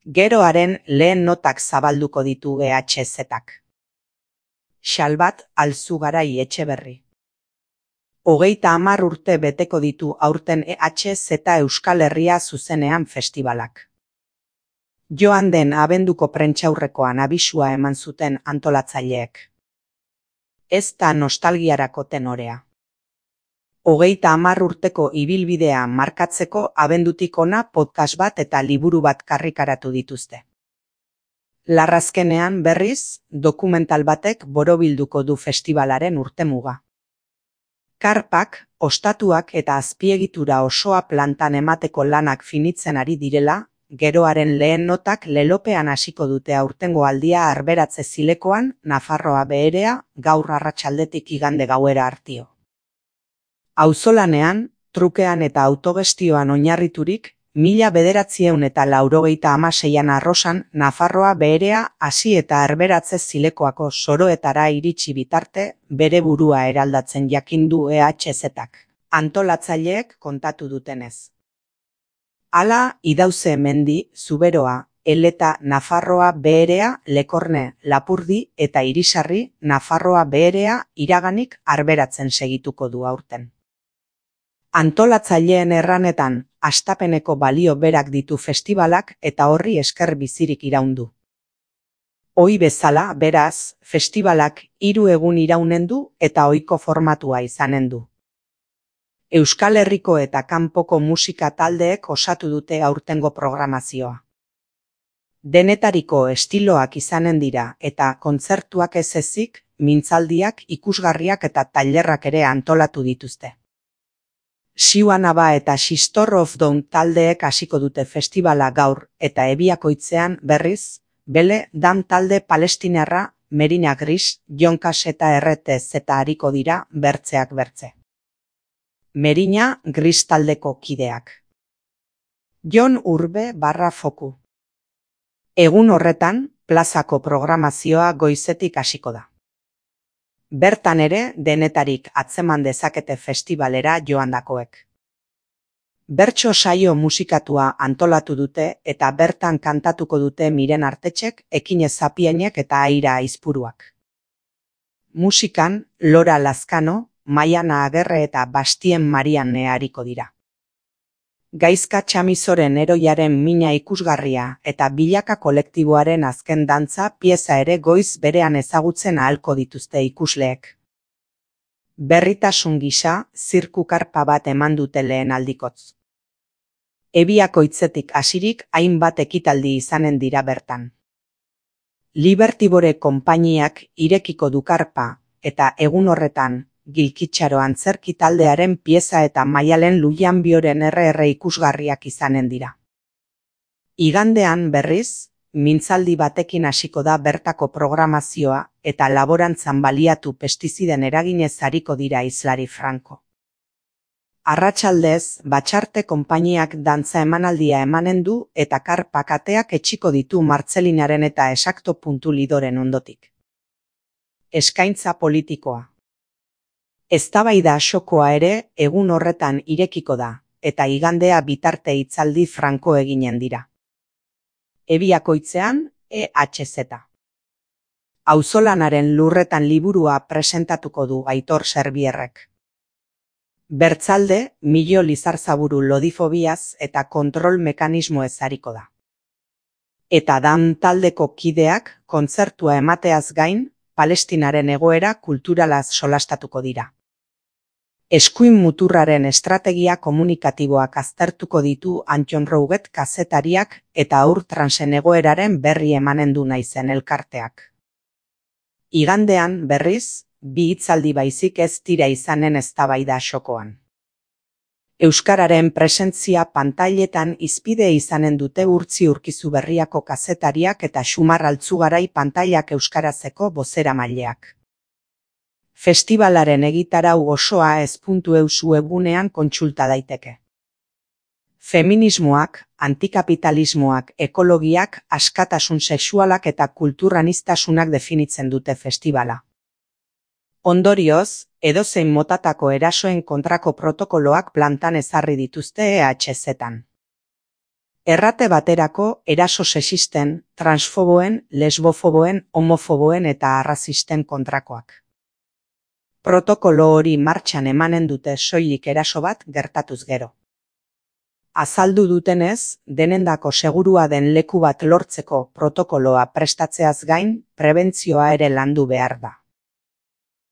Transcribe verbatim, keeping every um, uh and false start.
Geroaren lehen notak zabalduko ditu E H Z-ak. Xalbat Alzugarai Etxeberri. Hogeita hamar urte beteko ditu aurten E H Z Euskal Herria zuzenean festibalak. Joan den abenduko prentsaurrekoan abisua eman zuten antolatzaileek. Ez da nostalgiarako tenorea. Hogeita hamar urteko ibilbidea markatzeko abendutik ona podcast bat eta liburu bat karrikaratu dituzte. Larrazkenean berriz, dokumental batek borobilduko du festibalaren urtemuga. Karpak, ostatuak eta azpiegitura osoa plantan emateko lanak finitzen ari direla, geroaren lehen notak lelopean hasiko dute aurtengo aldia Arberatze Zilekoan, Nafarroa Beherea, gaur arratsaldetik igande gauera artio. Auzolanean, trukean eta autogestioan oinarriturik, mila bederatziehun eta laurogeita hamaseian arrosan Nafarroa Beherea hasi eta Arberatze Zilekoako soroetara iritsi bitarte bere burua eraldatzen jakindu E H Z-ak, antolatzaileek kontatu dutenez. Hala, Idauze Mendi, Zuberoa, Eleta, Nafarroa Beherea, Lekorne, Lapurdi eta Irisarri, Nafarroa Beherea iraganik arberatzen segituko du aurten. Antolatzaileen erranetan, hastapeneko balio berak ditu festibalak eta horri esker bizirik iraundu. Ohi bezala, beraz, festibalak hiru egun iraunen du eta ohiko formatua izanen du. Euskal Herriko eta kanpoko musika taldeek osatu dute aurtengo programazioa. Denetariko estiloak izanen dira eta kontzertuak ez ezik, mintzaldiak, ikusgarriak eta tailerrak ere antolatu dituzte. Siuanaba eta Sistor of Down taldeek hasiko dute festivala gaur eta Ebiakoitzean berriz, Bele Dan talde palestinarra, Merina Gris, Jonkas eta Erretez eta hariko dira bertzeak bertze. Merina Gris taldeko kideak. Jon Urbe barra foku. Egun horretan, plazako programazioa goizetik hasiko da. Bertan ere, denetarik atzeman dezakete festivalera joandakoek. Bertso saio musikatua antolatu dute eta bertan kantatuko dute Miren Artetxek, Ekine Zapienek eta Aira Aizpuruak. Musikan, Lora Lazkano, Maiana Agerre eta Bastien Marian hariko dira. Gaizka Txamizoren heroiaren mina ikusgarria eta Bilaka kolektiboaren azken dantza pieza ere goiz berean ezagutzen ahalko dituzte ikusleek. Berritasun gisa, zirku karpa bat eman dute lehen aldikotz. Ebiakoitzetik hasirik hainbat ekitaldi izanen dira bertan. Libertibore konpainiak irekiko du karpa eta egun horretan, Gilkitxaro antzerki taldearen pieza eta Maialen Lujanbioren erre erre ikusgarriak izanen dira. Igandean berriz, mintzaldi batekin hasiko da bertako programazioa eta laborantzan baliatu pestiziden eraginez ariko dira hizlari franko. Arratsaldez, Batxarte konpainiak dantza emanaldia emanen du eta karpak ateak etxiko ditu Martzelinaren eta Esakto puntu lidoren ondotik. Eskaintza politikoa. Eztabaida asokoa ere egun horretan irekiko da, eta igandea bitarte hitzaldi franko eginen dira. Ebiakoitzean, E H Z. Auzolanaren lurretan liburua presentatuko du Aitor Serbierrek. Bertzalde, Milo Lizarzaburu lodifobiaz eta kontrol mekanismoez ariko da. Eta Dan taldeko kideak kontzertua emateaz gain, Palestinaren egoera kulturalaz solastatuko dira. Eskuin muturraren estrategia komunikatiboak aztertuko ditu Anton Rouget kazetariak eta haur transen egoeraren berri emanen du naizen elkarteak. Igandean, berriz, bi hitzaldi baizik ez dira izanen eztabaida asokoan. Euskararen presentzia pantailetan hizpide izanen dute Urtzi Urkizuberriako kazetariak eta Xumar Altzugarai pantailak euskarazeko bozeramaileak. Festibalaren egitarau osoa ez puntu eus webunean kontsulta daiteke. Feminismoak, antikapitalismoak, ekologiak, askatasun sexualak eta kulturaniztasunak definitzen dute festivala. Ondorioz, edozein motatako erasoen kontrako protokoloak plantan ezarri dituzte E H Z-an. Errate baterako eraso sexisten, transfoboen, lesbofoboen, homofoboen eta arrazisten kontrakoak. Protokolo hori martxan emanen dute soilik eraso bat gertatuz gero. Azaldu dutenez, denendako segurua den leku bat lortzeko protokoloa prestatzeaz gain, prebentzioa ere landu behar da.